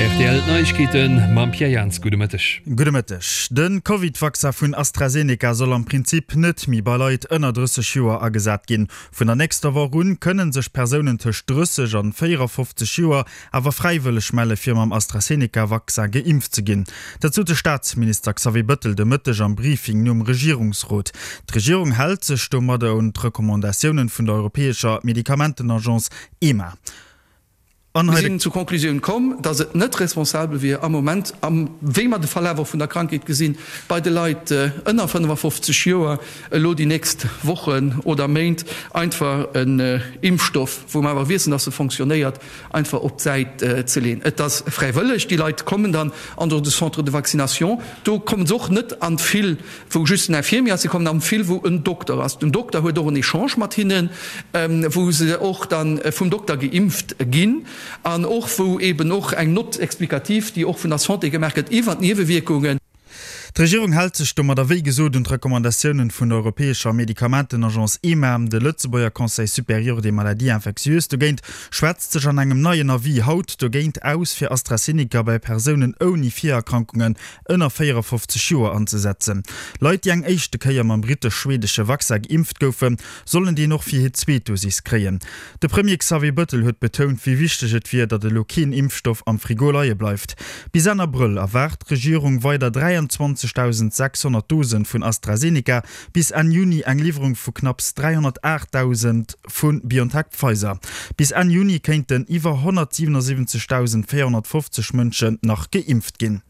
Rtl Neiegkeeten mam Pierre Jans. Gudde Mëtteg. Gudde Mëtteg. De Covid-Vaccin vun AstraZeneca soll am Prinzip net méi bei Leit ënner 30 Joer agesat ginn. Vun der nächster Woch un kënne sech Persounen tëscht 30 an 54 Joer awer fräiwëlleg melle fir mam AstraZeneca-Vaccin geimpft ze ginn. Dat sot de Staatsminister Xavier Bëttel de Mëtteg am Briefing nom Regierungsrot. D'Regierung hält sech domadder un d'Recommandatiounen vun der europäescher Medikamentenagence EMA. An Mir sinn zur Conclusioun komm, dass et net responsabel wier am Moment, wéi mer de Verlaf och vun der Krankheet gesinn, bei de Leit ënner 55 Joer elo déi nächst Wochen oder Méint einfach en Impfstoff, wou mer awer wiessen, dass e fonctionnéiert, einfach op d'Säit ze leeën. Et ass fräiwëlleg, déi Leit kommen dann an de Centre de vaccination. Do komme se och net an d'File wou just en Infirmier ass, se kommen an d'File wou en Dokter ass. Den Dokter huet och en Echange mat hinnen, wou se och dann vum Dokter geimpft ginn an och wou eben och eng Note explicative, déi och vun der Santé gemaach gëtt iwwer d'Niewewierkungen. D'Regierung hält sech domadder wéi gesot un d'Recommandatiounen vun der europäescher Medikamentenagence EMA. De Lëtzebuerger Conseil supérieur des maladies infectieuses dogéint schwätzt sech an engem neien Avis haut dogéint aus, fir AstraZeneca bei Persounen ouni Virerkrankungen ënner 54 Joer anzesetzen. Leit, déi eng éischte Kéier mam brittesch-schweedesche Vaccin geimpft goufen, sollen deen och fir hir zweet Dosis kréien. De Premier Xavier Bëttel huet betount, wéi wichteg et wier, datt elo keen Impfstoff am Frigo leie bleift. Bis Enn Abrëll erwaart d'Regierung weider 23.600 Dosen vun AstraZeneca, bis Enn Juni eng Liwwerung vu knapps 308.000 vu BioNTech-Pfizer. Bis Enn Juni kéinten iwwer 177.450 Mënschen nach geimpft ginn.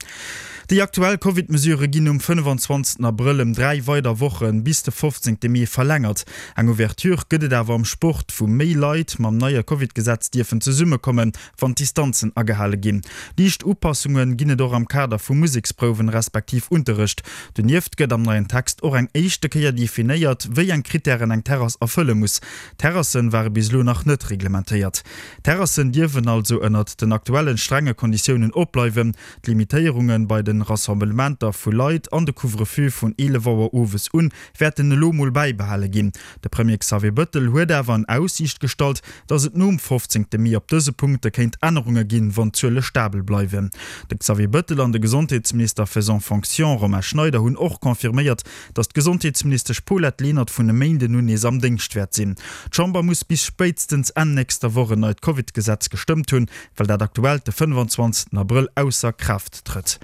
Déi aktuell Covid-Mesurë ginn um 25 Abrëll ëm 3 weider Woche bis de 15 Mee verlängert. Eng Ouverture gëtt et awer am Sport, wou méi Leit mam neie Covid-Gesetz dierfen zesummekommen, wann d'Distanzen agehale ginn. Liicht Upassunge ginn et och am Kader vu Museksprouwen respektiv Unterrecht. Donieft gëtt am neien Text och eng éischte Kéier definéiert, wéi eng Krittären eng Terrass erfëlle muss. Terrasse ware bis elo nach net reglementéiert. Terrassen dierfen also ënnert den aktuellen strenge Konditiounen opbleiwen. D'Limitéierunge bei de Rassemblementer vu Leit an de Couvre-feu vun 11 Auer owes un wäerten elo mol bäibehale ginn. De Premier Xavier Bëttel huet awer an Aussiicht gestallt, datt et nom 15 Mee op dëse Punkte kéint Ännerunge ginn, wann d'Zuele stabel bleiwen. De Xavier Bëttel an de Gesondheetsminister faisant fonction Romain Schneider hunn och confirméiert, datt d'Gesondheetsministesch Paulette Lenert vun e Méinden un nees am Déngscht wäert sinn. D'Chamber muss bis spéitstens Enn nächster Woch en neit Covid-Gesetz gestëmmt hunn, well dat aktuellt de 25 Abrëll ausser Kraaft trëtt.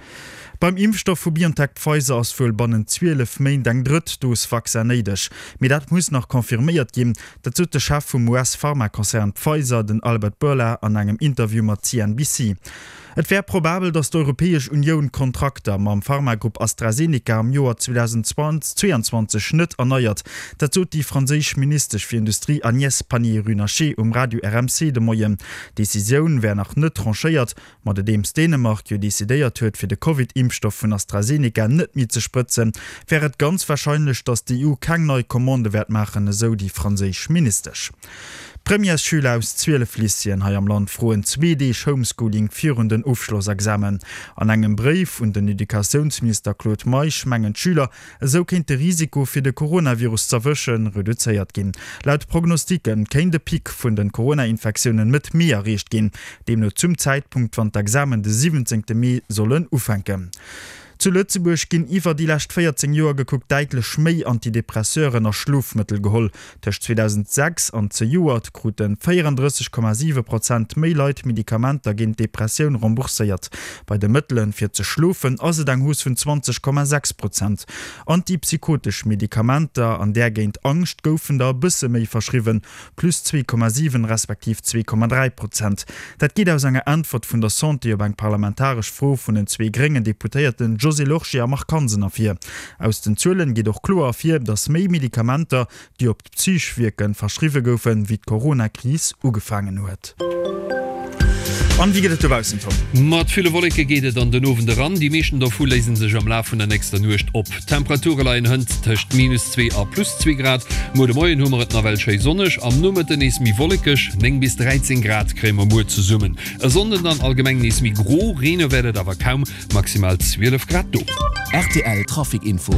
Beim Impfstoff vu BioNTech-Pfizer ass wuel bannent 12 Méint eng drëtt Dos Vaccin néideg, mee dat muss nach confirméiert ginn. Dat sot de Chef vum US-Pharmakonzern Pfizer, den Albert Bourla, an engem Interview mat CNBC. Et wär probabel, datt d'Europäesch Unioun d'Kontrakter mam Pharmagrupp AstraZeneca am Joer 2022 net erneiert. Dat sot déi franséisch Ministesch fir Industrie Agnès Pannier-Runacher um Radio RMC de Moien. D'Decisioun wär nach net tranchéiert, ma nodeems Dänemark jo decidéiert huet, fir de Covid-Impfstoff vun AstraZeneca net méi ze sprëtzen, wär et ganz warscheinlech, datt d'EU keng nei Commandë wäert maachen, esou déi franséisch Ministesch. D'Premièresschüler aus 12 Lycéeën hei am Land froen zwee Deeg Homeschooling virun den Ofschlossexamen. An engem Bréif un den Educatiounsminister Claude Meisch mengen d'Schüler, esou kéint de Risiko fir de Coronavirus z'erwëschen reduzéiert ginn. Laut Prognostiquë kéint e Pic vun de Corona-Infektiounen Mëtt Mee erreecht ginn, deemno zum Zäitpunkt wann d'Examen de 17 Mee sollen ufänken. Zu Lëtzebuerg ginn iwwer déi lescht 14 Joer gekuckt däitlech méi Antidepresseuren a Schlofmëttel geholl. Tëscht 2006 an zejoert krute 34,7 Prozent méi Leit Medikamenter géint d'Depressioun rembourséiert. Bei de Mëttele fir ze schlofen ass et eng Hausse vun 20,6 Prozent. Antipsychotesch Medikamenter an där géint Angscht goufen der e bësse méi verschriwwen, plus 2,7 respektiv 2,3 Prozent. Dat geet aus enger Äntwert vun der Santé op eng parlamentaresch Fro vun den zwee gréngen Deputéierten Josée Lorsché a Marc Hansen ervir. Aus den Zuelen geet och kloer ervir, datt méi Medikamenter, déi op d'Psych wierken, verschriwwe goufen, wéi d'Corona-Kris ugefaangen huet. An wéi gëtt et dobaussen, Tom? Mat ville Wolleke geet et an den Owend eran, déi meeschten dovu léise sech am Laf vun der nächster Nuecht op. D'Temperature leien hënt tëscht minus 2 a plus 2 Grad. Muer de Moien hu mer et nawell schéi sonneg, am Nomëtten nees méi wollekeg, 9 bis 13 Grad kréie mer muer zesummen. E Sonnden dann allgemeng nees méi gro, reene wäert et awer kaum, maximal 12 Grad do. Rtl Trafic Info.